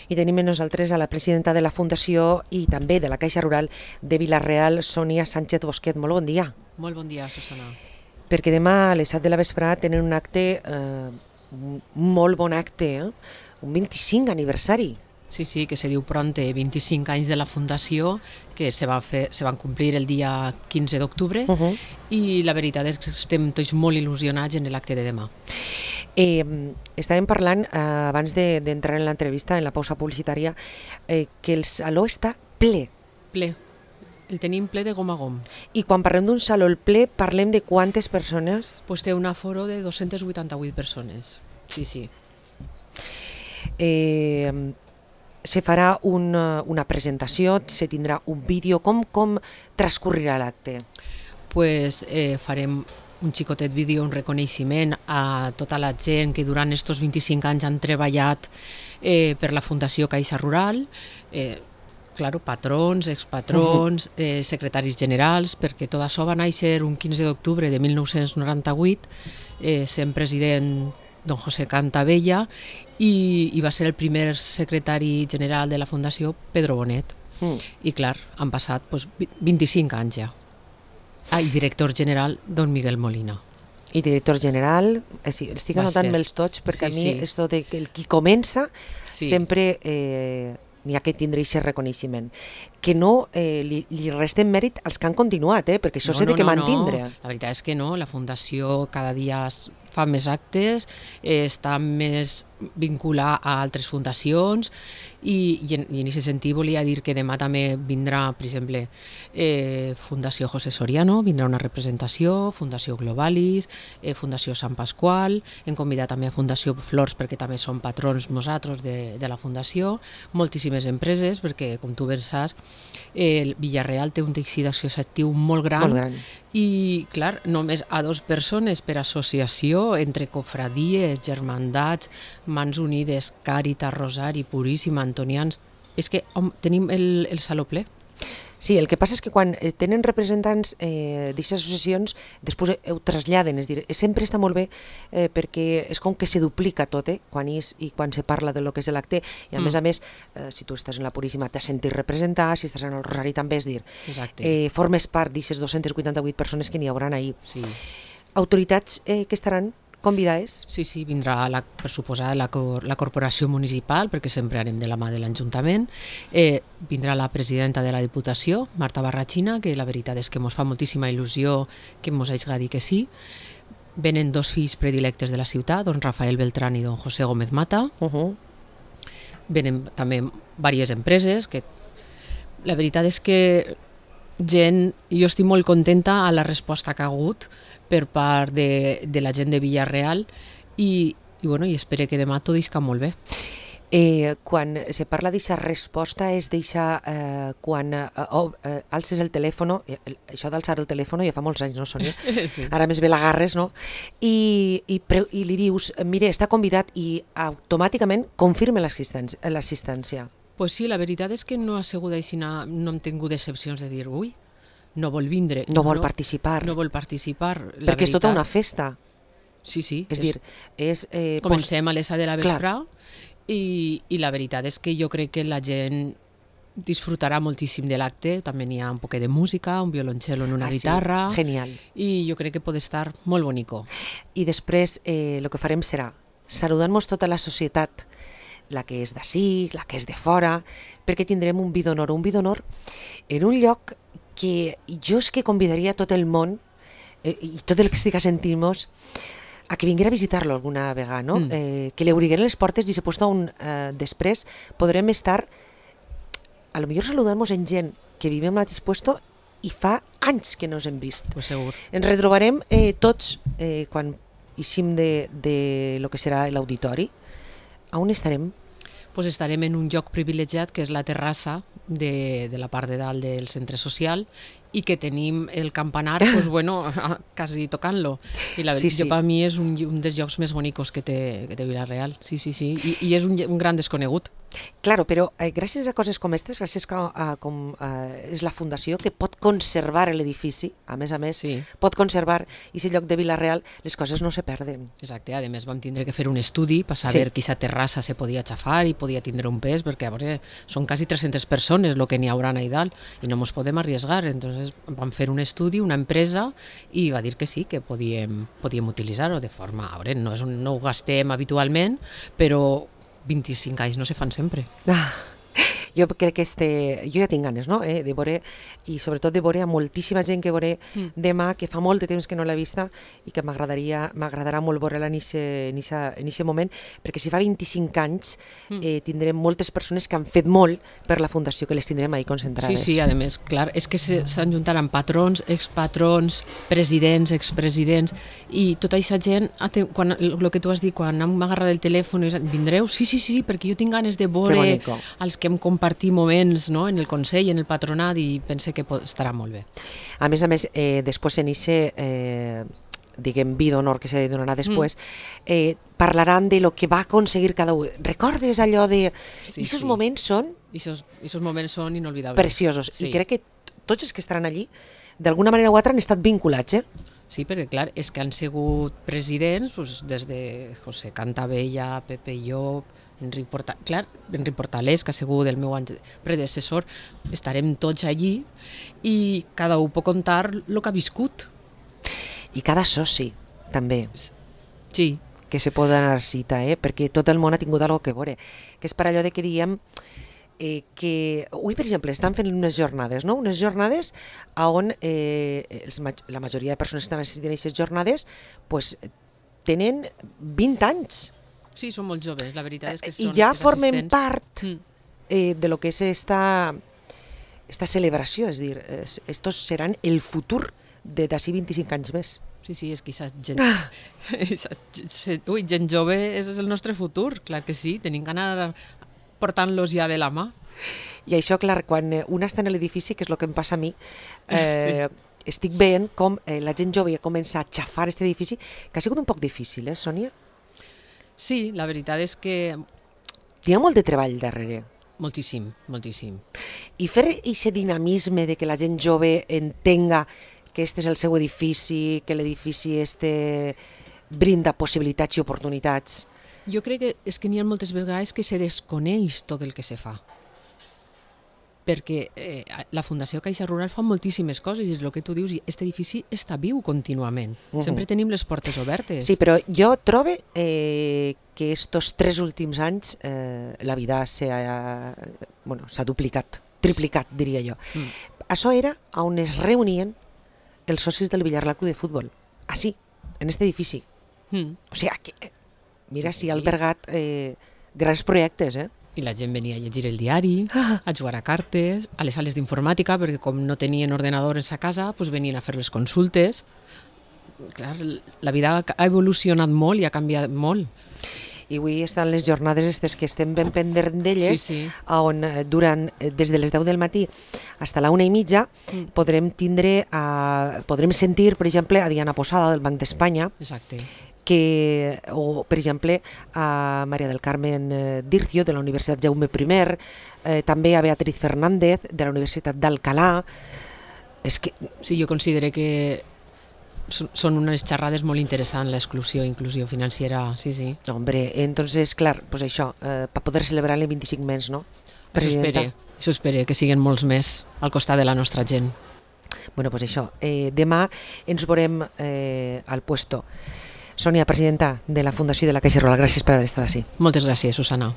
I tenim amb nosaltres a la presidenta de la Fundació i també de la Caixa Rural de Vila-real, Sònia Sánchez Bosquet. Molt bon dia. Molt bon dia, Susana. Perquè demà a les 7 de la vesprada tenen un acte, un molt bon acte, un 25 aniversari. Sí, que se diu pronte, 25 anys de la Fundació, que se van complir el dia 15 d'octubre, i la veritat és que estem tots molt il·lusionats en l'acte de demà. Estàvem parlant, abans d'entrar en l'entrevista, en la pausa publicitària, que el saló està ple. Ple. El tenim ple de gom a gom. I quan parlem d'un saló ple, parlem de quantes persones? Pues té un aforo de 288 persones. Sí. Se farà una presentació, se tindrà un vídeo. Com transcorrirà l'acte? Pues farem un xicotet vídeo, un reconeixement a tota la gent que durant aquests 25 anys han treballat per la Fundació Caixa Rural, patrons, expatrons, secretaris generals, perquè tot això va néixer un 15 d'octubre de 1998, sent president don José Cantabella, i va ser el primer secretari general de la Fundació Pedro Bonet. I clar, han passat 25 anys ja. I director general don Miguel Molina. I director general, estic anotant-me'ls tots perquè a mi esto de que el qui comença sempre n'hi ha que tindre aquest reconeixement. Que no li resten mèrit als que han continuat, perquè això s'ha de mantindre. La veritat és que no, la Fundació cada dia fa més actes, està més vinculada a altres fundacions i en aquest sentit volia dir que demà també vindrà, per exemple, Fundació José Soriano, vindrà una representació, Fundació Globalis, Fundació Sant Pasqual, hem convidat també a Fundació Flors perquè també són patrons nosaltres de la Fundació, moltíssimes empreses perquè, com tu ben saps, el Vila-real té un teixit associatiu molt gran. I, clar, només a 2 persones per associació, entre cofradies, germandats, Mans Unides, Càritas, Rosari, Puríssima, Antonians. És que tenim el saló ple. Sí, el que passa és que quan tenen representants d'aquestes associacions, després ho traslladen, és a dir, sempre està molt bé perquè és com que se duplica tot, quan se parla de lo que és l'acte, i a més, si tu estàs en la Puríssima t'has sentit representar, si estàs en el Rosari també, és dir, formes part d'aquestes 288 persones que n'hi haurà ahir. Autoritats que estaran convidades? Sí, vindrà, per suposar, la corporació municipal, perquè sempre anem de la mà de l'Ajuntament. Vindrà la presidenta de la Diputació, Marta Barrachina, que la veritat és que ens fa moltíssima il·lusió que ens hagi dit que sí. Venen 2 fills predilectes de la ciutat, don Rafael Beltrán i don José Gómez Mata. Venen també diverses empreses, que la veritat és que jo estic molt contenta a la resposta que ha hagut per part de la gent de Vila-real i espero que demà tot isca molt bé. Quan se parla d'aquesta resposta és quan alces el telèfon, això d'alçar el telèfon ja fa molts anys, no, Sònia? Ara més bé l'agarres, no? I li dius, mire, està convidat i automàticament confirma l'assistència. Pues sí, la veritat és que no ha sigut així, no hem tingut decepcions de dir, ui, no vol vindre. No vol participar. No vol participar. Perquè és tota una festa. Sí. És dir, comencem a les 7 de la vesprà i la veritat és que jo crec que la gent disfrutarà moltíssim de l'acte. També n'hi ha un poquet de música, un violoncel en una guitarra. Genial. I jo crec que pot estar molt bonico. I després el que farem serà saludar-nos tota la societat, la que és d'ací, la que és de fora, perquè tindrem un vi d'honor en un lloc que jo és que convidaria tot el món i tot el que estic sentint-nos a que vinguera a visitar-lo alguna vegada, no? Que li obrigueren les portes i després podrem estar a lo millor saludant-nos en gent que vivim en l'altre puesto i fa anys que no ens hem vist. Pues segur. Ens retrobarem tots quan eixim de lo que serà l'auditori. A on estarem? Pues estarem en un lloc privilegiat que és la terrassa de la part de dalt del centre social i que tenim el campanar, pues bueno, quasi tocant-lo. I la veritat, Sí. per mi és un dels llocs més bonicos que té Vila-real. Sí. I és un gran desconegut. Claro, però gràcies a coses com aquestes, gràcies a com és la fundació que pot conservar l'edifici, a més, Sí. pot conservar aquest lloc de Vila-real, les coses no se perden. Exacte, a més vam tindre que fer un estudi per saber que aquesta terrassa se podia xafar i podia tindre un pes, perquè a veure, són quasi 300 persones el que n'hi haurà allà dalt i no ens podem arriesgar. Entonces vam fer un estudi, una empresa, i va dir que sí, que podíem utilitzar-ho de forma... A veure, no ho gastem habitualment, però 25 anys no se fan sempre. Jo crec que jo ja tinc ganes, no? De veure, i sobretot de veure a moltíssima gent que veuré demà, que fa molt de temps que no l'he vista i que m'agradarà molt veure-la en aquest moment, perquè si fa 25 anys tindrem moltes persones que han fet molt per la fundació, que les tindrem ahí concentrades. Sí, a més, clar, és que s'han juntaran patrons, expatrons, presidents, expresidents, i tota aquesta gent, el que tu has dit, quan hem agarrat el telèfon, vindreu? Sí, perquè jo tinc ganes de veure els que hem compartit moments, no?, en el Consell, en el Patronat, i pense que estarà molt bé. A més, després en diguem, vi d'honor que se donarà després, parlaran de lo que va aconseguir cada un. Recordes allò de... Aquests moments són... Aquests moments són inolvidables. Preciosos. I crec que tots els que estaran allí, d'alguna manera o altra, han estat vinculats, Sí, perquè clar, és que han sigut presidents des de José Cantabella, Pepe Llop, Enric Portalés, que ha sigut el meu predecessor. Estarem tots allí i cada un pot contar el que ha viscut. I cada soci, també. Sí. Que se pot donar cita, perquè tot el món ha tingut alguna cosa que veure. Que és per allò de que diem que avui, per exemple, estan fent unes jornades, no? Unes jornades on la majoria de persones que estan assistint a aquestes jornades pues, tenen 20 anys. Sí, són molt joves, la veritat és que són i ja formen assistents. part de lo que és esta celebració, és dir, estos seran el futur d'ací 25 anys més. Sí, és que gent jove és el nostre futur, clar que sí, tenim que anar portant-los ja de la mà. I això, clar, quan un està en l'edifici, que és el que em passa a mi, estic veient com la gent jove ja comença a xafar aquest edifici, que ha sigut un poc difícil, Sònia? Sí, la veritat és que... Hi ha molt de treball darrere. Moltíssim. I fer aquest dinamisme de que la gent jove entenga que este és el seu edifici, que l'edifici brinda possibilitats i oportunitats. Jo crec que és que n'hi ha moltes vegades que se desconeix tot el que se fa. Perquè la Fundació Caixa Rural fa moltíssimes coses i és el que tu dius, i aquest edifici està viu contínuament. Sempre tenim les portes obertes. Sí, però jo trobo que estos 3 últims anys la vida s'ha duplicat, triplicat, diria jo. Això era on es reunien els socis del Villarreal Club de Futbol. Així, en aquest edifici. O sigui, mira si ha albergat grans projectes, I la gent venia a llegir el diari, a jugar a cartes, a les sales d'informàtica, perquè com no tenien ordenadors a casa, doncs venien a fer les consultes. Clar, la vida ha evolucionat molt i ha canviat molt. I avui estan les jornades aquestes que estem ben pendents d'elles, on des de les 10 del matí fins a la 1:30 podrem sentir, per exemple, a Diana Posada del Banc d'Espanya, o, per exemple, a Maria del Carmen Dircio, de la Universitat Jaume I, també a Beatriz Fernández, de la Universitat d'Alcalá. Sí, jo considero que són unes xerrades molt interessants, l'exclusió i inclusió financiera, sí. Hombre, entonces, clar, pues això, per poder celebrar el 25 més, no? Això espere, que siguin molts més al costat de la nostra gent. Bueno, pues això, demà ens veurem al puesto. Sònia, presidenta de la Fundació de la Caixa Rural, gràcies per haver estat així. Moltes gràcies, Susana.